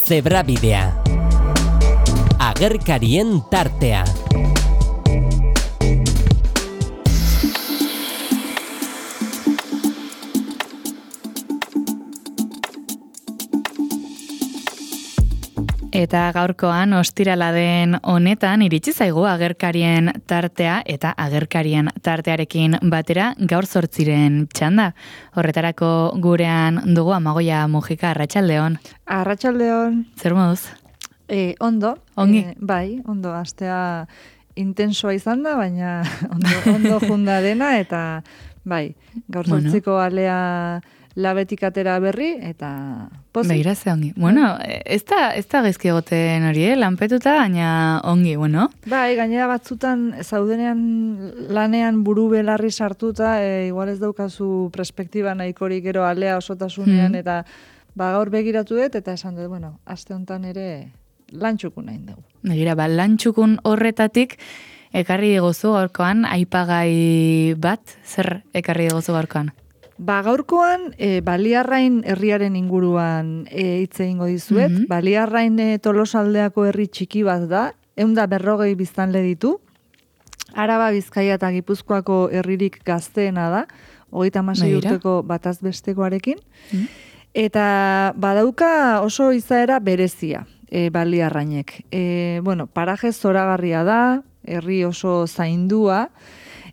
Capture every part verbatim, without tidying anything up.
Zebrabidea. Agerkarien tartea. Eta gaurkoan ostirala den honetan iritsi zaigu agerkarien tartea eta agerkarien tartearekin batera gaur zortziren txanda. Horretarako gurean dugu Amagoia Mujika, arratsaldeon. Arratsaldeon. Zer moduz? E, ondo. Ongi? E, bai, ondo. Astea intensoa izan da, baina ondo, ondo junda dena eta bai, gaur zortziko bueno. alea labetik atera berri, eta pozik. Begira ze ongi. Bueno, ez da, ez da gezki egoten hori, eh? Lanpetuta, baina ongi, bueno. Bai, gainera batzutan, zaudenean lanean buru belarri sartuta, e, igual ez daukazu perspektiba nahikorik gero alea osotasunean, mm. eta ba, gaur begiratu dut, eta esan dut, bueno, aste honetan ere lantxukun nahi dugu. Begira, ba, lantxukun horretatik, ekarri diguzu gaurkoan, aipagai bat, zer ekarri diguzu gaurkoan? Ba, gaurkoan, e, Baliarrain herriaren inguruan e, hitz egingo dizuet. Mm-hmm. Baliarrain e, Tolosaldeako herri txiki bat da, ehun eta berrogei biztanle ditu. Araba, Bizkaia eta Gipuzkoako herririk gazteena da, hogeita hamasei urteko bataz bestekoarekin. Mm-hmm. Eta badauka oso izaera berezia, e, Baliarrainek. E, bueno, paraje zoragarria da, herri oso zaindua,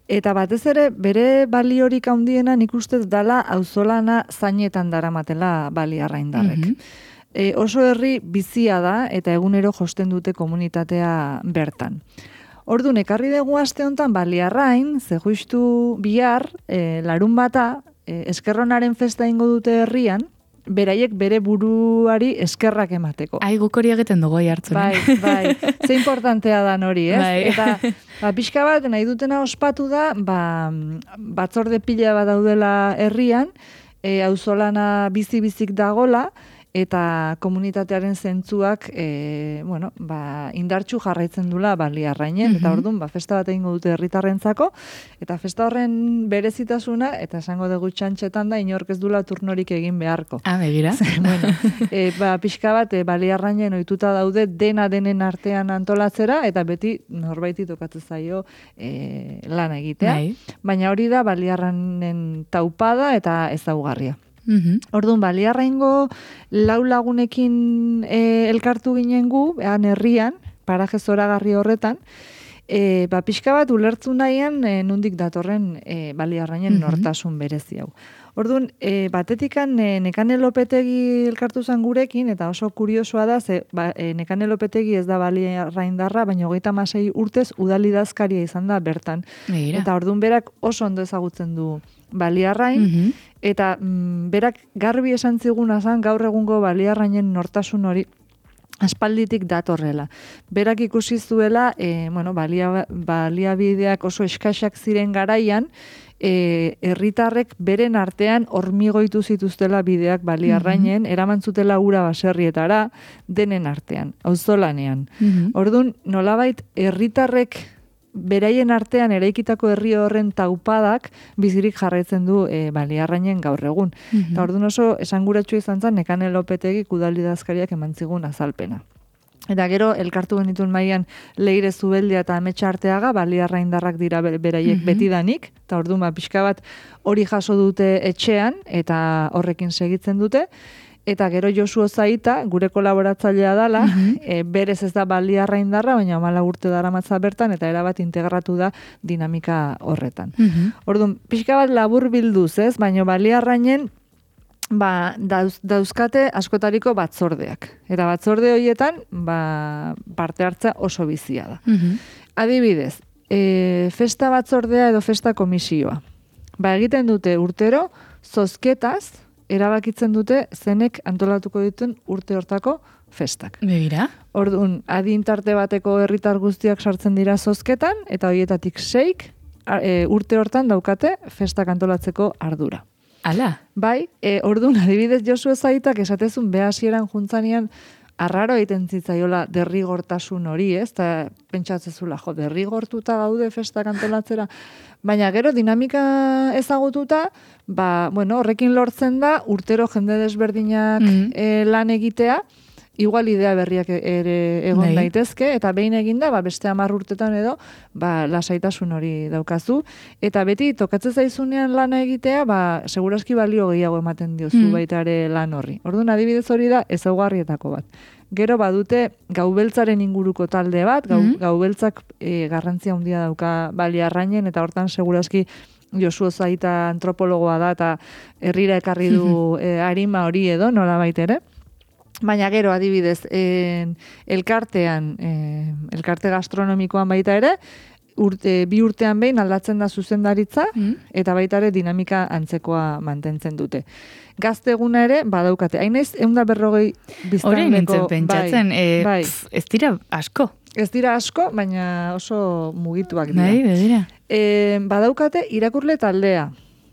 eta batez ere, bere baliorik handiena nik uste dala auzolana zainetan daramatela Baliarraindarrek. Mm-hmm. e, oso herri bizia da, eta egunero josten dute komunitatea bertan. Orduan, ekarri dugu aste honetan Baliarrain, ze justu bihar, e, larun bata, e, eskerronaren festa ingo dute herrian, beraiek bere buruari eskerrak emateko. Ai, guk hori egiten dugu jartzen. Bai, bai. Ze importantea da hori, ez? Bai. Eta ba, pixka bat nahi dutena ospatu da, ba, batzorde pila bat daudela herrian, e, auzolana bizi-bizik dagola, eta komunitatearen zentzuak e, bueno, ba, indartsu jarraitzen dula Baliarrainen, mm-hmm. eta orduan ba, festa bat egingo dute herritarrentzako, eta festa horren berezitasuna, eta esango dugu txantxetan da, inork ez dula turnorik egin beharko. Ah, begira. bueno, e, ba, pixka bat e, Baliarrainen ohituta daude dena denen artean antolatzera, eta beti norbaiti tokatzen zaio e, lan egitea. Bai. Baina hori da Baliarrainen taupada eta ezaugarria. Mm-hmm. Orduan, Baliarraingo lau lagunekin e, elkartu ginen gu, ean herrian, paraje zoragarri horretan, e, ba, pixka bat ulertzu nahian e, nundik datorren e, Baliarrainen mm-hmm. nortasun berezi hau. Orduan, e, batetikan e, Nekane Lopetegi elkartu zan gurekin, eta oso kuriosoa da, ze ba, e, Nekane Lopetegi ez da Baliarraindarra, baina hogeita hamasei urtez udalidazkaria izan da bertan. Egira. Eta orduan berak oso ondo ezagutzen du Baliarrain, mm-hmm. eta mm, berak garbi esan ziguna zan gaur egungo Baliarrainen nortasun hori aspalditik datorrela. Berak ikusi zuela, e, bueno, balia, baliabideak oso eskaxak ziren garaian, e, herritarrek beren artean hormigoitu zituztela bideak Baliarrainen, mm-hmm. eraman zutela ura baserrietara, denen artean, auzolanean. Mm-hmm. Orduan, nolabait, herritarrek beraien artean eraikitako herri horren taupadak bizirik jarraitzen du e, Baliarrainen gaur egun. Mm-hmm. Eta orduan oso esanguratsu izan zen Nekane Lopetegi udalidazkariak eman zigun azalpena. Eta gero elkartu genituen mailan Leire Zubeldia eta Ametsa Arteaga, Baliarraindarrak dira beraiek mm-hmm. betidanik, eta orduan ba, pixka bat hori jaso dute etxean eta horrekin segitzen dute. Eta gero Josu Ozaita, gure kolaboratzailea dala, mm-hmm. e, berez ez da Baliarraindarra, baina hamala urte daramatza bertan, eta erabat integratu da dinamika horretan. Mm-hmm. Orduan, pixka bat labur bilduz, ez? Baina Baliarrainen ba, dauz, dauzkate askotariko batzordeak. Eta batzorde horietan ba, parte hartza oso bizia da. Mm-hmm. Adibidez, e, festa batzordea edo festa komisioa. Ba, egiten dute urtero, zozketaz, erabakitzen dute zenek antolatuko dituen urte hortako festak. Begira. Orduan, adintarte bateko herritar guztiak sartzen dira zozketan, eta horietatik seik e, urte hortan daukate festak antolatzeko ardura. Ala. Bai, e, orduan, adibidez Josu Ezaitak esatezun behasieran juntzanean arraro egiten zitzaiola derrigortasun hori, ez? Eta pentsatzezula, jo, derrigortuta gaude festak antolatzera. Baina gero dinamika ezagututa, ba, bueno, horrekin lortzen da urtero jende desberdinak mm-hmm. e, lan egitea, igual idea berriak ere egon Bai. daitezke, eta behin eginda, ba, beste hamar urtetan edo, ba, lasaitasun hori daukazu. Eta beti, tokatzen zaizunean lana egitea, ba, seguraski balio gehiago ematen diozu Mm. baita ere lan horri. Orduan, adibidez hori da, ezaugarrietako bat. Gero badute gaubeltzaren inguruko talde bat, gau, Mm. gaubeltzak e, garrantzia handia dauka Baliarrainen, eta hortan seguraski Josu Zaita antropologoa da, eta herrira ekarri du e, arima hori edo, nola baitere. Baina gero, adibidez, en, elkartean, en, elkarte gastronomikoan baita ere, urte, bi urtean behin aldatzen da zuzendaritza, Mm. eta baita ere dinamika antzekoa mantentzen dute. Gazte eguna ere, badaukate. Hainez, egun da berrogei Hori biztanleko... nintzen pentsatzen, bai, eh, bai. pf, ez dira asko. Ez dira asko, baina oso mugituak dira. Bai, begira. E, badaukate irakurle taldea.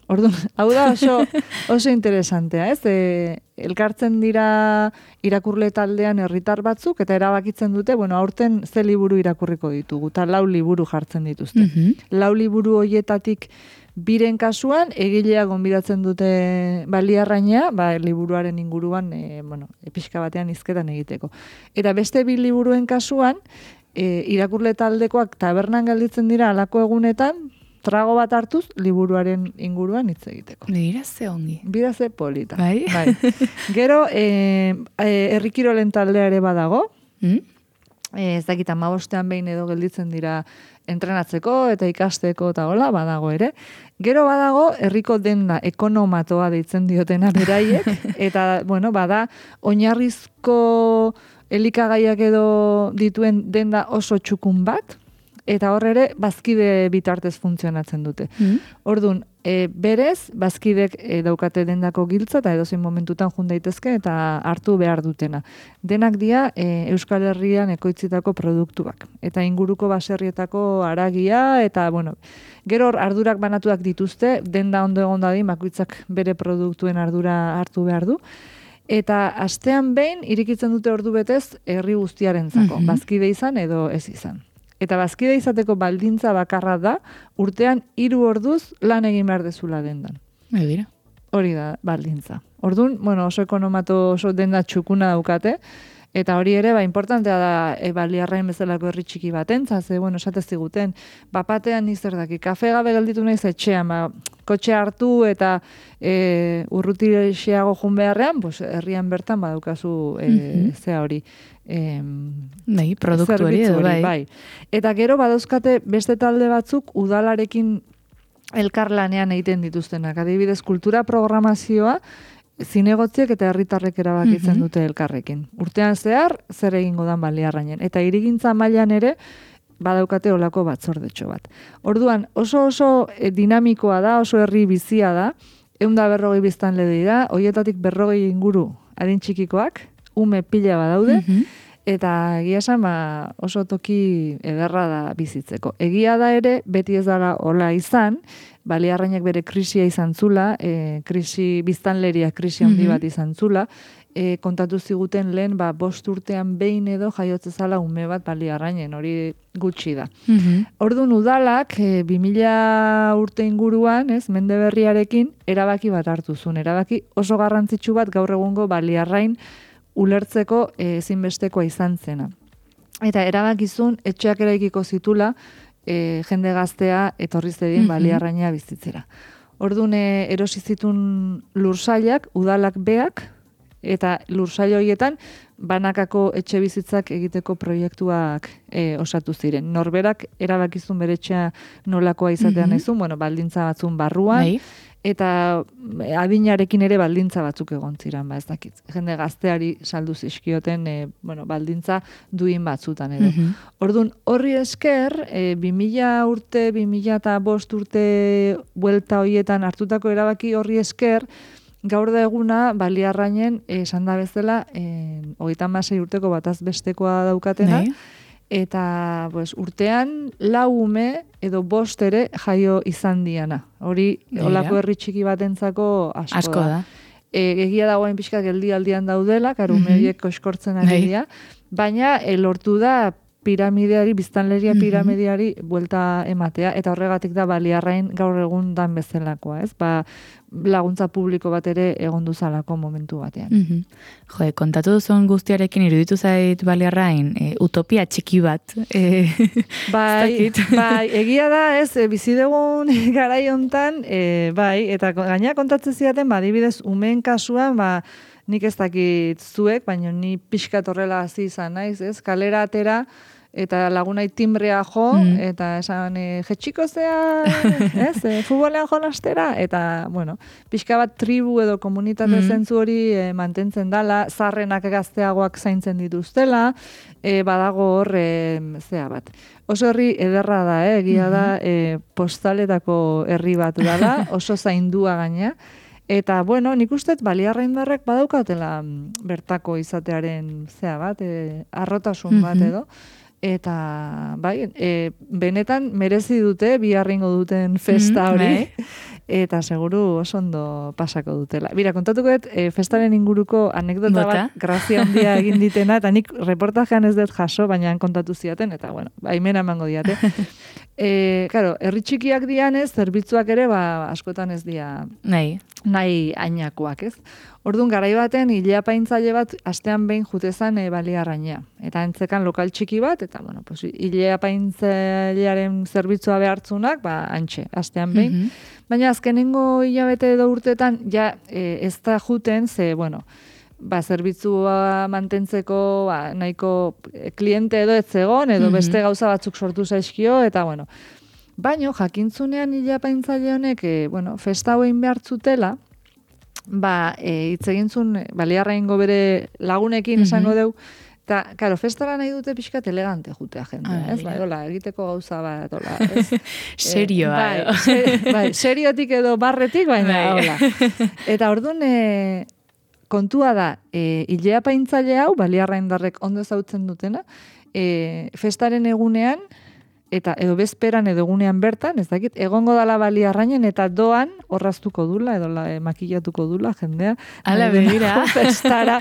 Orduan, hau da oso, oso interesantea, ez? E, elkartzen dira irakurle taldean herritar batzuk, eta erabakitzen dute, bueno, aurten ze liburu irakurriko ditugu, eta lau liburu jartzen dituzte. Mhm. Lau liburu hoietatik biren kasuan, egilea gonbidatzen dute Baliarrainea, ba, liburuaren inguruan, e, bueno, pixka batean hizketan egiteko. Eta beste bi liburuen kasuan, e, irakurle taldekoak tabernan gelditzen dira alako egunetan, trago bat hartuz, liburuaren inguruan hitz egiteko. Begira ze ongi. Bira ze polita. Bai? Gero, e, e, herrikirolen taldea ere badago, Mm? e, ez dakit hamabostean behin edo gelditzen dira entrenatzeko eta ikasteko eta hola, badago ere. Gero badago, herriko denda ekonomatoa deitzen diotena beraiek, eta, bueno, bada, oinarrizko elikagaiak edo dituen denda oso txukun bat, eta hor ere, bazkide bitartez funtzionatzen dute. Mm? Orduan, e, berez, bazkidek e, daukate dendako giltza, eta edozein momentutan jun daitezke, eta hartu behar dutena. Denak dira e, Euskal Herrian ekoitzitako produktuak. Eta inguruko baserrietako haragia, eta, bueno, gero hor ardurak banatuak dituzte, denda ondo egon dadin, bakoitzak bere produktuen ardura hartu behar du. Eta astean behin, irikitzen dute ordu betez, herri guztiarentzako, Mhm. bazkide izan edo ez izan. Eta bazkide izateko baldintza bakarra da, urtean hiru orduz lan egin behar dezula dendan. Begira. Hori da baldintza. Orduan, bueno, oso ekonomato oso denda txukuna daukate, eta hori ere, ba, importantea da, e, Baliarrain bezalako herri txiki batentzat, ze, bueno, esatez diguten, bapatean nizer daki, kafe gabe gelditu naiz etxean, ba, kotxe hartu eta e, urrutirexiago jun beharrean, pues, herrian bertan badaukazu e, Mhm. zea hori. E, Bai, produktu hori zerbitzu edo, bai. bai. Eta gero badauzkate beste talde batzuk udalarekin elkarlanean egiten dituztenak. Adibidez, kultura programazioa zinegotziek eta herritarrek erabakitzen Mhm. dute elkarrekin. Urtean zehar, zer egingo dan Baliarrainen. Eta hirigintza mailan ere, badaukate olako batzordetxo bat. Orduan, oso oso eh, dinamikoa da, oso herri bizia da, ehun da berrogei biztanle dira, hoietatik berrogei inguru adin txikikoak, ume pila badaude, Mhm. eta egia esan, ba, oso toki ederra da bizitzeko. Egia da ere, beti ez dara hola izan, Baliarrainek bere krisia izan zula, e, krisi, biztanleria krisi handi Mhm. bat izan zula, e, kontatu ziguten lehen, ba, bost urtean behin edo jaiotze zala ume bat Baliarrainen, hori gutxi da. Mhm. Orduan udalak, e, bi mila urte inguruan, ez, mende berriarekin, erabaki bat hartu zuen. Erabaki oso garrantzitsu bat gaur egungo Baliarrain ulertzeko e, ezinbestekoa izan zena. Eta erabakizun etxeak eraikiko zitula, e, jende gaztea etorri zedin Mhm. Baliarraina bizitzera. Orduan e, erosi zitun lursailak, udalak beak, eta lursail horietan banakako etxe bizitzak egiteko proiektuak e, osatu ziren. Norberak erabakizun bere etxea nolakoa izatea Mhm. naizun, bueno, baldintza batzun barruan, Bai. eta adinarekin ere baldintza batzuk egon ziren, ba ez dakit. Jende gazteari saldu zizkioten, e, bueno, baldintza duin batzutan edo. Mhm. Orduan, horri esker, e, bi mila urte, bi mila eta bost urte buelta hoietan hartutako erabaki horri esker, gaur da eguna Baliarrainen esan da bezala, e, hogeita hamasei urteko bataz bestekoa daukatena, Bai. eta pues, urtean lau ume edo bost ere jaio izan diana. Hori, Begira. olako herri txiki batentzako asko, Asko da. E, egia dagoen pixka geldialdian daudela, karo Mhm. ume horiek koskortzen ari Bai. dira, baina e, lortu da piramideari, biztanleria piramideari buelta ematea, eta horregatik da Baliarrain gaur egun dan bezalakoa, ez? Ba, laguntza publiko bat ere egon duzalako momentu batean. Mm-hmm. Jo, kontatu duzun guztiarekin iruditu zait Baliarrain, e, utopia txiki bat. E, bai, bai, egia da, ez, e, bizidegun garai hontan, e, bai, eta gaina kontatzen zidaten, ba, adibidez, umeen kasuan, ba, nik ez dakit zuek, baina ni pixkat horrela hasi izan naiz, ez? Kalera atera, eta lagunai timbrea jo, mm. eta esan, e, jetxiko zea, ez? E, futbolean jolastera, eta, bueno, pixka bat tribu edo komunitate mm. zentzu hori e, mantentzen dala, zarrenak gazteagoak zaintzen dituztela, e, badago hor, e, zea bat. Oso herri ederra da, eh? Egia da, e, postaletako herri bat dala, oso zaindua gaina, eta, bueno, nik uste Baliarraindarrek badaukatela bertako izatearen zea bat, e, arrotasun bat edo, eta, bai, e, benetan merezi dute, biharringo duten festa hori, eta seguru oso ondo pasako dutela. Bira, kontatuko dut, e, festaren inguruko anekdota Bota. bat, grazia handia egin ditena, eta nik reportajean ez dut jaso, baina han kontatu ziaten, eta, bueno, baimena emango diate. E, claro, herri txikiak dianez, zerbitzuak ere, ba, askotan ez dia nahi, nahi ainakoak, ez? Orduan, garai baten, ileapaintzaile bat, astean behin jutezan e, Baliarrainea. Eta entzekan lokal txiki bat, eta, bueno, pues, ileapaintzailearen zerbitzua behartzunak, ba, antxe, astean behin. Mm-hmm. Baina, azkenengo hilabete edo urteetan, ja, e, ez da juten, ze, bueno, ba, zerbitzua mantentzeko, ba, nahiko kliente edo ez zegon, edo mm-hmm. beste gauza batzuk sortu zaizkio, eta, bueno, baino, jakintzunean ileapaintzaile honek, e, bueno, festa hoein behartzutela, ba, e, hitz egintzun, Baliarraingo bere lagunekin mm-hmm. esango deu, eta, karo, festara nahi dute pixkat elegante jutea jendea, ah, ez? Ba, dola, egiteko gauza bat, dola, ez? Serioa, e, bai, se, bai, seriotik edo barretik, baina, hola. Eta orduan, e, kontua da, e, ileapaintzaile hau, Baliarraindarrek ondo ezautzen dutena, e, festaren egunean, eta edo bezperan edo egunean bertan, ez dakit, egongo dala Baliarrainen eta doan orraztuko dula, edo la, e, makillatuko dula jendea. Ala, begira. Festara,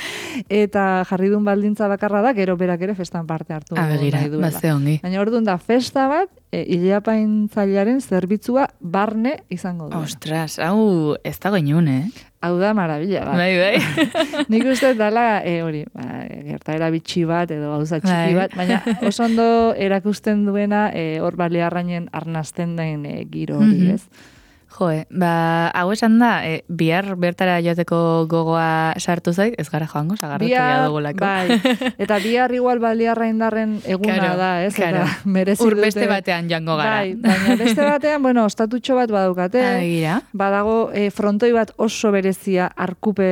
eta jarri duen baldintza bakarra da, gero berak ere festan parte hartu. A, begira, bazte ongi. Baina orduan da, festa bat, e, ileapaintzailearen zerbitzua barne izango du. Ostras, hau ez dago inun, eh? Hau da marabila bat. Bai, bai. Nik uste dala, e, hori, ba, gertaera bitxi bat, edo gauza txiki bat, baina oso ondo erakusten duena, e, hor Baliarrainen arnazten den e, giro hori, mm-hmm. ez? Joe, ba, hau esan da, e, bihar bertara joateko gogoa sartu zait, ez gara joango, sagarratu ya dugulako. Bai, eta bihar igual Baliarraindarren eguna claro, da, ez? Claro. Eta merezi dute. Ur beste batean joango gara. Bai, baina beste batean, bueno, ostatutxo bat badaukate. Agira. Badago e, frontoi bat oso berezia, arkupe,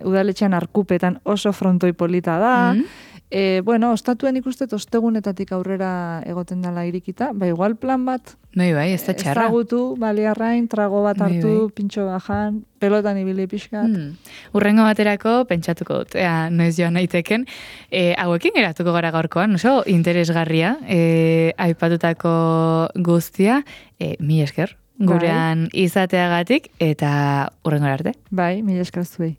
udaletxean arkupetan oso frontoi polita da. Mm-hmm. E, bueno, ostatuen ikustet ostegunetatik aurrera egoten dela irikita, ba igual plan bat. Bai, bai, ez da txarra. Ezagutu, Baliarrain, trago bat hartu, bai, bai. pintxo bajan, pelotan ibili pixkat. Hmm. Urrengo baterako pentsatuko dut, ea, noiz joan naiteken. E, hauekin geratuko gara gaurkoan, oso interesgarria, e, aipatutako guztia, e, mi esker, gurean bai. Izateagatik, eta urrengo arte. Bai, mi esker zuei.